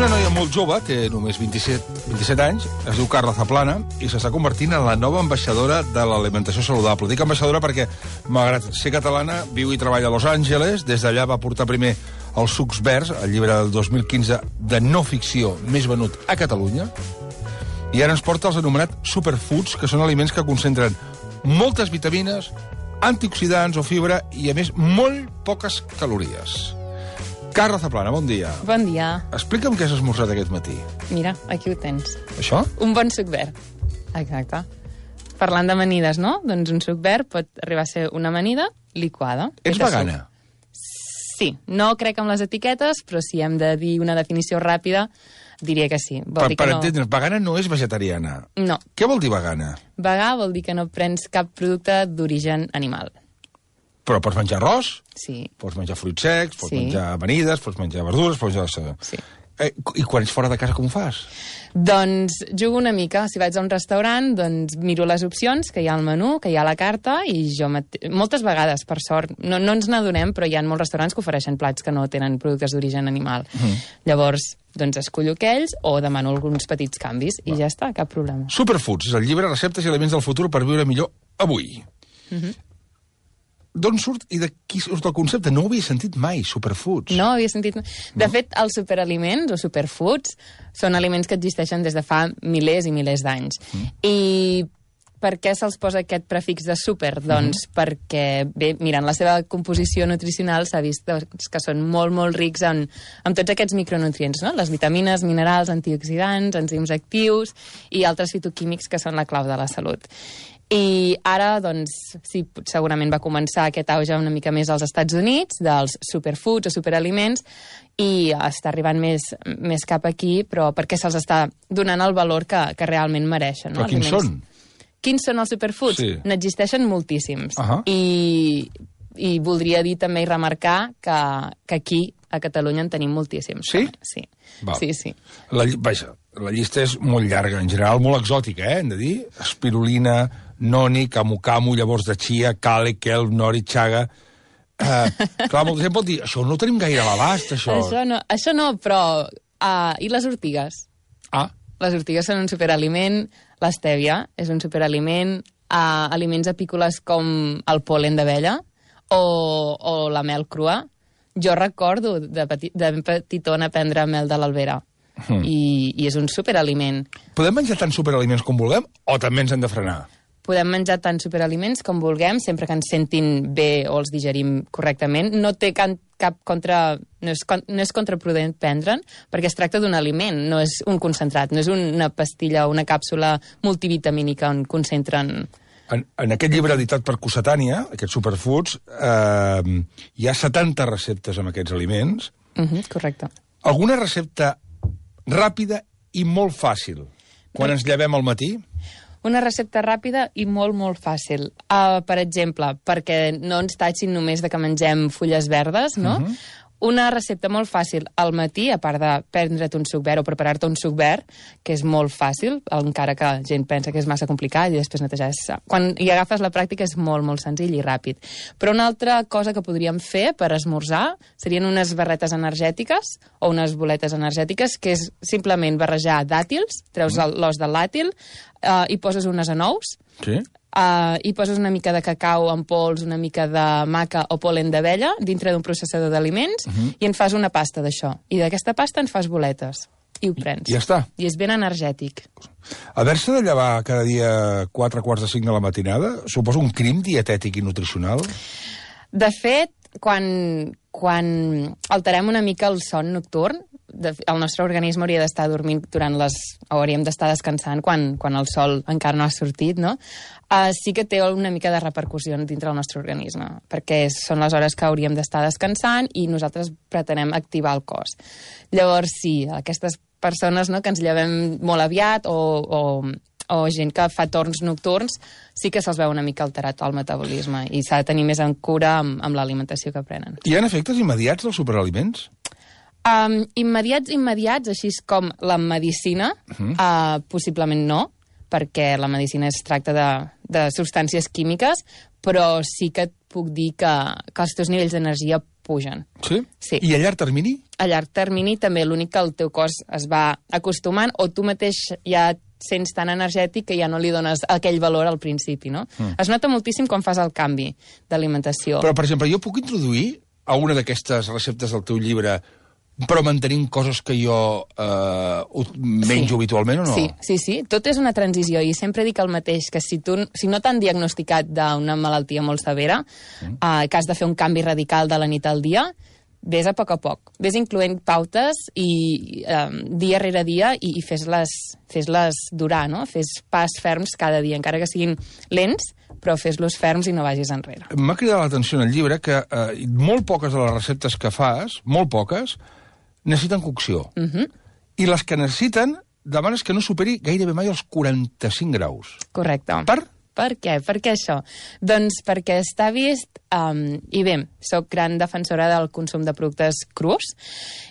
una noia molt jove, té només 27 anys, es diu Carla Zaplana, i s'està convertint en la nova ambaixadora de l'alimentació saludable. Dic ambaixadora perquè, malgrat ser catalana, viu i treballa a Los Angeles. Des d'allà va portar primer els sucs verds, el llibre del 2015 de no ficció més venut a Catalunya, i ara ens porta els anomenats superfoods, que són aliments que concentren moltes vitamines, antioxidants o fibra i, a més, molt poques calories. Carla Zaplana, bon dia. Bon dia. Explica'm què has esmorzat aquest matí. Mira, aquí ho tens. Això? Un bon suc verd. Exacte. Parlant d'amanides, no? Doncs un suc verd pot arribar a ser una amanida liquada. Ets vegana? Sí. No crec en les etiquetes, però si hem de dir una definició ràpida, diria que sí. Per entendre's, vegana no és vegetariana. No. Què vol dir vegana? Vegà vol dir que no prens cap producte d'origen animal. Però pots menjar arròs, sí. Pots menjar fruits secs, pots menjar amanides, pots menjar verdures, pots menjar... Sí. I quan ets fora de casa com ho fas? Doncs jugo una mica. Si vaig a un restaurant, doncs miro les opcions que hi ha al menú, que hi ha a la carta, i jo moltes vegades, per sort, no ens n'adonem, però hi ha molts restaurants que ofereixen plats que no tenen productes d'origen animal. Llavors, doncs escollo aquells o demano alguns petits canvis i ja està, cap problema. Superfoods és el llibre Receptes i aliments del futur per viure millor avui. D'on surt i de qui surt el concepte? No ho havia sentit mai, superfoods. No havia sentit... De fet, els superaliments o superfoods són aliments que existeixen des de fa milers i milers d'anys. I per què se'ls posa aquest prefix de super? Doncs perquè, bé, mirant la seva composició nutricional s'ha vist que són molt, molt rics en tots aquests micronutrients, no? Les vitamines, minerals, antioxidants, enzims actius i altres fitoquímics que són la clau de la salut. I ara, doncs, sí, segurament va començar aquest auge una mica més als Estats Units, dels superfoods o superaliments, i està arribant més cap aquí, però perquè se'ls està donant el valor que realment mereixen. No? Però quins són? Quins són els superfoods? Sí. N'existeixen moltíssims. I voldria dir també i remarcar que aquí, a Catalunya, en tenim moltíssims. Sí? Sí. Val. Sí. Vaja, la llista és molt llarga, en general molt exòtica, hem de dir? Espirulina, noni, camu-camu, llavors de chia, kale, kelp, nori, chaga... clar, molta gent pot dir, això no ho tenim gaire a l'abast, això. Això no, però... I les ortigues? Les ortigues són un superaliment, l'estèvia és un superaliment, aliments apícoles com el pol·len d'abella o la mel crua. Jo recordo de petitona prendre mel de l'albera i és un superaliment. Podem menjar tants superaliments com vulguem o també ens hem de frenar? Podem menjar tants superaliments com vulguem, sempre que ens sentin bé o els digerim correctament. No té cap no és contraproduent prendre'n, perquè es tracta d'un aliment, no és un concentrat, no és una pastilla o una càpsula multivitamínica on concentren... En aquest llibre editat per Cossetània, aquests superfoods, hi ha 70 receptes amb aquests aliments. Correcte. Alguna recepta ràpida i molt fàcil quan ens llevem al matí? Una recepta ràpida i molt, molt fàcil. Per exemple, perquè no ens tatxin només de que mengem fulles verdes, no? Una recepta molt fàcil al matí, a part de prendre't un suc verd o preparar-te un suc verd, que és molt fàcil, encara que gent pensa que és massa complicat i després netejar. Quan hi agafes la pràctica és molt, molt senzill i ràpid. Però una altra cosa que podríem fer per esmorzar serien unes barretes energètiques o unes boletes energètiques, que és simplement barrejar dàtils, treus l'os del dàtil, i poses unes anous, i poses una mica de cacau en pols, una mica de maca o pol·len d'abella dintre d'un processador d'aliments i en fas una pasta d'això. I d'aquesta pasta en fas boletes. I ho prens. I ja està. I és ben energètic. Haver-se de llevar cada dia 4:45 de la matinada suposa un crim dietètic i nutricional? De fet, quan alterem una mica el son nocturn, el nostre organisme hauria d'estar dormint hauríem d'estar descansant quan el sol encara no ha sortit, no? Sí que té una mica de repercussió dintre del nostre organisme, perquè són les hores que hauríem d'estar descansant i nosaltres pretenem activar el cos. Llavors, sí, aquestes persones, no, que ens llevem molt aviat o gent que fa torns nocturns, sí que se'ls veu una mica alterat el metabolisme i s'ha de tenir més en cura amb l'alimentació que prenen. Hi ha efectes immediats dels superaliments? Immediats, així com la medicina, possiblement no, perquè la medicina es tracta de substàncies químiques, però sí que et puc dir que els teus nivells d'energia pugen. Sí? Sí. I a llarg termini? A llarg termini també l'únic que el teu cos es va acostumant o tu mateix ja sents tan energètic que ja no li dones aquell valor al principi, no? Es nota moltíssim quan fas el canvi d'alimentació. Però, per exemple, jo puc introduir alguna d'aquestes receptes del teu llibre però mantenint coses que jo menjo habitualment o no? Sí. Tot és una transició i sempre dic el mateix, que si no t'han diagnosticat d'una malaltia molt severa, que has de fer un canvi radical de la nit al dia, vés a poc. Vés incloent pautes i dia rere dia i fes-les durar, no? Fes pas ferms cada dia, encara que siguin lents, però fes-los ferms i no vagis enrere. M'ha cridat l'atenció en el llibre que molt poques de les receptes que fas, molt poques, necessiten cocció. I les que necessiten demanes que no superi gairebé mai els 45 graus. Correcte. Per què? Per què això? Doncs perquè està vist, i bé, soc gran defensora del consum de productes crus,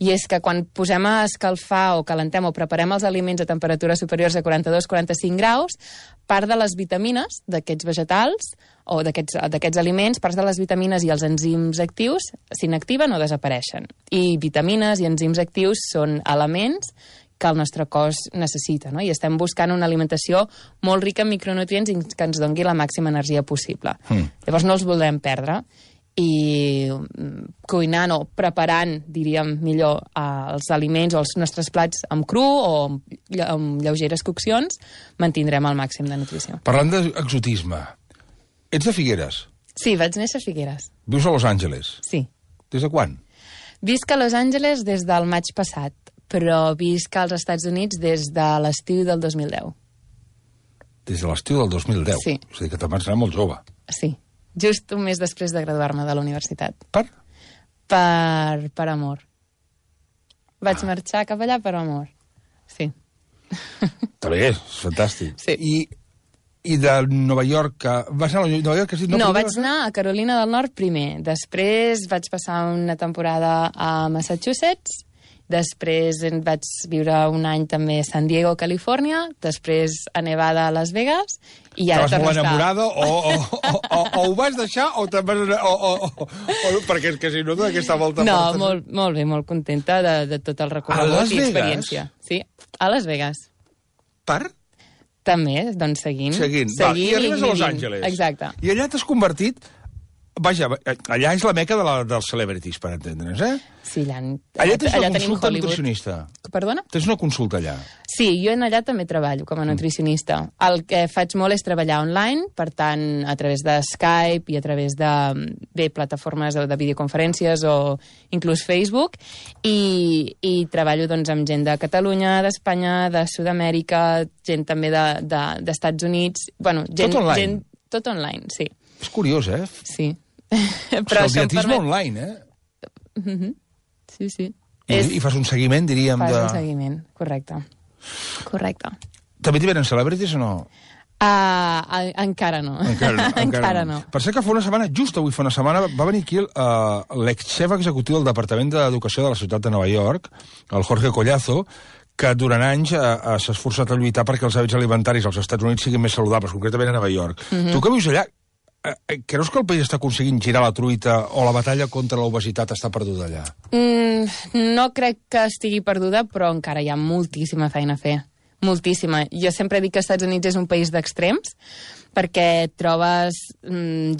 i és que quan posem a escalfar o calentem o preparem els aliments a temperatures superiors a 42-45 graus, part de les vitamines d'aquests vegetals o d'aquests aliments, parts de les vitamines i els enzims actius s'inactiven o desapareixen. I vitamines i enzims actius són elements que el nostre cos necessita, no? I estem buscant una alimentació molt rica en micronutrients i que ens doni la màxima energia possible. Llavors no els volem perdre i cuinant o preparant, diríem millor, els aliments o els nostres plats amb cru o amb lleugeres coccions, mantindrem el màxim de nutrició. Parlant d'exotisme, ets de Figueres? Sí, vaig néixer a Figueres. Vius a Los Angeles? Sí. Des de quan? Visc a Los Angeles des del maig passat, però visc als Estats Units des de l'estiu del 2010. Des de l'estiu del 2010? Sí. És a dir, que te'n vas anar molt jove. Sí. Just un mes després de graduar-me de la universitat. Per? Per amor. Vaig marxar cap allà per amor. Sí. Està bé, és fantàstic. Sí. I de Nova York... Vas anar a Nova York? No, vaig anar a Carolina del Nord primer. Després vaig passar una temporada a Massachusetts. Després vaig viure un any també a San Diego, Califòrnia, després a Nevada, a Las Vegas, i ara torno a estar... enamorada o ho vas deixar o te'n vas anar... perquè és que si no, d'aquesta volta... No, molt bé, molt contenta de tot el recorregut i experiència. Sí, a Las Vegas. Per? També, doncs seguint. I arribes a Los Angeles. Exacte. I allà t'has convertit... Vaja, allà és la meca dels celebrities, per entendre'ns, eh? Sí, allà tens una consulta nutricionista. Perdona? Tens una consulta allà. Sí, jo allà també treballo com a nutricionista. El que faig molt és treballar online, per tant, a través de Skype i a través de plataformes de videoconferències o inclús Facebook, i treballo doncs, amb gent de Catalunya, d'Espanya, de Sud-amèrica, gent també d'Estats Units... Bueno, tot online? Tot online, sí. És curiós, eh? Sí. Però el dietisme online, eh? Sí. I fas un seguiment, diríem, Fas un seguiment, correcte. També t'hi venen celebrities o no? Encara no. Encara no. Per ser que fa una setmana, just avui fa una setmana, va venir aquí l'ex-xef executiu del Departament d'Educació de la ciutat de Nova York, el Jorge Collazo, que durant anys s'ha esforçat a lluitar perquè els hàbits alimentaris als Estats Units siguin més saludables, concretament a Nova York. Tu que vius allà, creus que el país està aconseguint girar la truita o la batalla contra l'obesitat està perduda allà? No crec que estigui perduda, però encara hi ha moltíssima feina a fer. Moltíssima. Jo sempre dic que els Estats Units és un país d'extrems, perquè trobes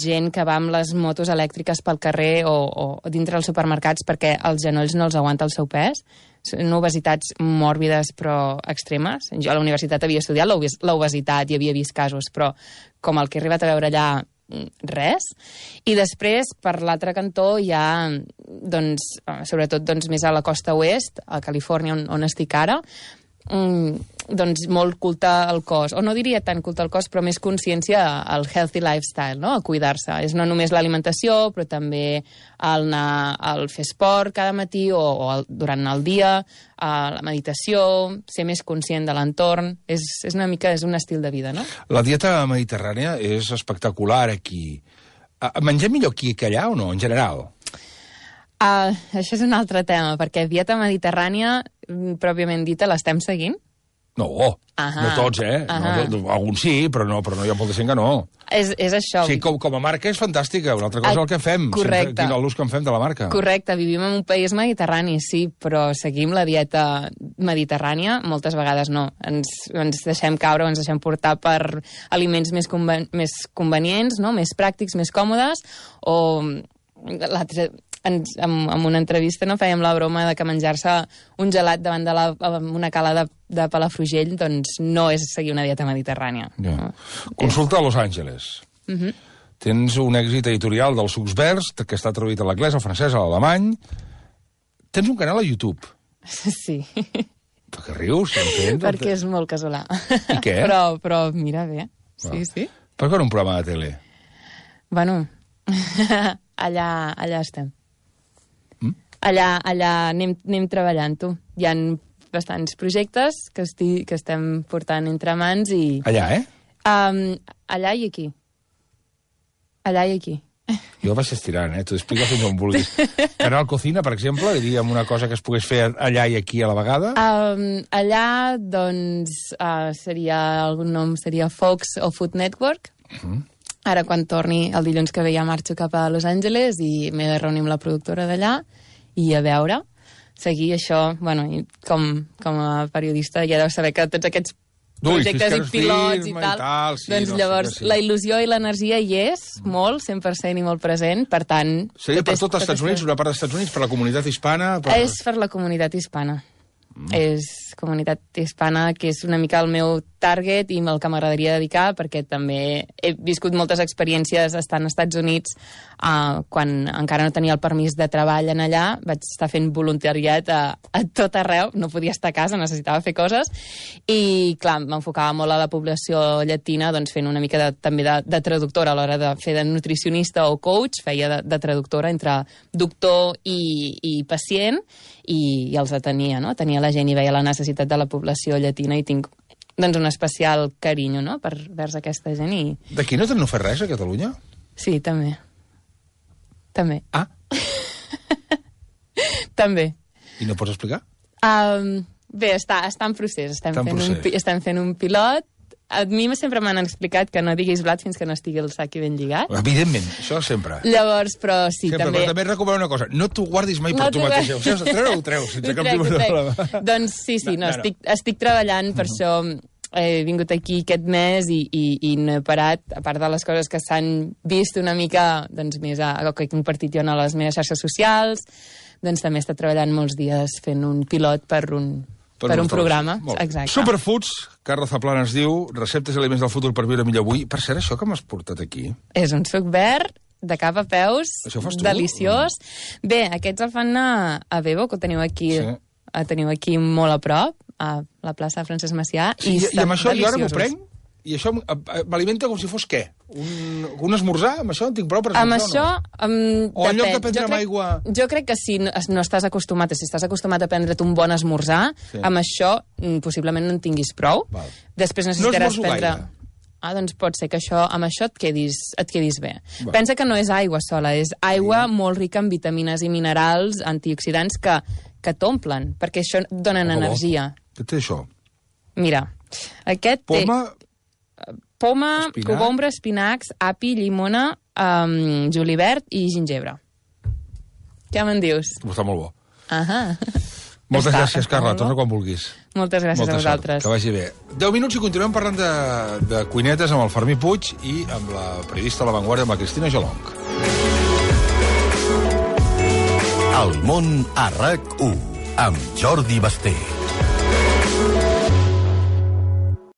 gent que va amb les motos elèctriques pel carrer o dintre dels supermercats perquè els genolls no els aguanta el seu pes. Són obesitats mòrbides però extremes. Jo a la universitat havia estudiat l'obesitat i havia vist casos, però com el que he arribat a veure allà, res. I després, per l'altre cantó, hi ha, doncs, sobretot doncs, més a la costa oest, a Califòrnia, on estic ara, doncs molt culte al cos, o no diria tant culte al cos, però més consciència al healthy lifestyle, no? A cuidar-se. És no només l'alimentació, però també el fer esport cada matí o durant el dia, la meditació, ser més conscient de l'entorn. És una mica, és un estil de vida, no? La dieta mediterrània és espectacular aquí. Mengem millor aquí que allà o no, en general? Això és un altre tema, perquè dieta mediterrània, pròpiament dita, l'estem seguint. No, no tots, alguns sí, però no hi ha molta gent que no. És això. Sí, com a marca és fantàstica, una altra cosa és el que fem. Correcte. Quin l'ús que en fem de la marca. Correcte, vivim en un país mediterrani, sí, però seguim la dieta mediterrània, moltes vegades no. Ens deixem caure, ens deixem portar per aliments més convenients, no? Més pràctics, més còmodes, o en una entrevista no fèiem la broma de que menjar-se un gelat davant una cala de Palafrugell doncs no és seguir una dieta mediterrània. Yeah. No? Consulta a Los Angeles. Tens un èxit editorial dels sucs verds, que està traduït a l'anglès, al francès, a l'alemany. Tens un canal a YouTube. Sí. Per què rius? Perquè és molt casolà. I què? Però mira bé. Sí. Per què no un programa de tele? Bueno, allà estem. Allà anem treballant-ho. Hi ha bastants projectes que estem portant entre mans i... Allà, allà i aquí. Allà i aquí. Jo vaig estirant, T'ho explico fins on vulguis. Canal Cocina, per exemple, diríem una cosa que es pogués fer allà i aquí a la vegada? Allà, doncs, algun nom seria Fox o Food Network. Ara, quan torni el dilluns que ve, ja marxo cap a Los Angeles i m'he de reunir amb la productora d'allà i a veure, seguir això, bueno, com a periodista ja deu saber que tots aquests projectes i pilots i tal, doncs llavors la il·lusió i l'energia hi és, molt, 100% i molt present, per tant... Seria per tot els Estats Units, una part dels Estats Units, per la comunitat hispana? És per la comunitat hispana. És comunitat hispana, que és una mica el meu target i el que m'agradaria dedicar, perquè també he viscut moltes experiències estant als Estats Units quan encara no tenia el permís de treball en allà, vaig estar fent voluntariat a tot arreu, no podia estar a casa, necessitava fer coses, i clar, m'enfocava molt a la població llatina, doncs fent una mica també de traductora a l'hora de fer de nutricionista o coach, feia de traductora entre doctor i pacient, i els atenia, no? Tenia la gent i veia la necessitat de la població llatina i tinc doncs un especial carinyo, no?, vers aquesta gent i... D'aquí no fer res, a Catalunya? Sí, també. També. Ah? També. I no pots explicar? Bé, està en procés. Estem fent un pilot. A mi sempre m'han explicat que no diguis blat fins que no estigui el sac ben lligat. Evidentment, això sempre. Llavors, però sí, sempre, també... Però també recomano una cosa, no t'ho guardis mai per tu mateix. O sigui, treu-ho, sense cap tipus de problema. Doncs sí, estic treballant, per això he vingut aquí aquest mes i no he parat, a part de les coses que s'han vist una mica doncs, més que he compartit jo a les meves xarxes socials, doncs també he estat treballant molts dies fent un pilot per un programa. Exacte. Superfoods, Carla Zaplana es diu, receptes i aliments del futur per viure millor avui. Per cert, això que m'has portat aquí? És un suc verd, de cap a peus, deliciós. Bé, aquests el fan a Bebo, que ho teniu aquí molt a prop, a la plaça de Francesc Macià. Sí, i amb això jo ara m'ho prenc, i això m'alimenta com si fos què? Un esmorzar? Amb això en tinc prou per esmorzar? Amb això, o en lloc de prendre amb aigua... Jo crec que si no estàs acostumat, si estàs acostumat a prendre't un bon esmorzar, amb això possiblement no en tinguis prou. Val. Després necessitaràs prendre... gaire. Doncs pot ser que amb això et quedis bé. Va. Pensa que no és aigua sola, és aigua molt rica en vitamines i minerals, antioxidants que t'omplen, perquè això et donen energia. Què té això? Mira, aquest té... Poma, espinac, cogombre, espinacs, api, llimona, julivert i gingebre. Què me'n dius? Està molt bo. Moltes gràcies, Carla. Torna quan vulguis. Moltes gràcies a vosaltres. Que vagi bé. 10 minuts i continuem parlant de cuinetes amb el Fermí Puig i amb la periodista a La Vanguardia, amb la Cristina Jolonch. El món a RAC1, amb Jordi Basté.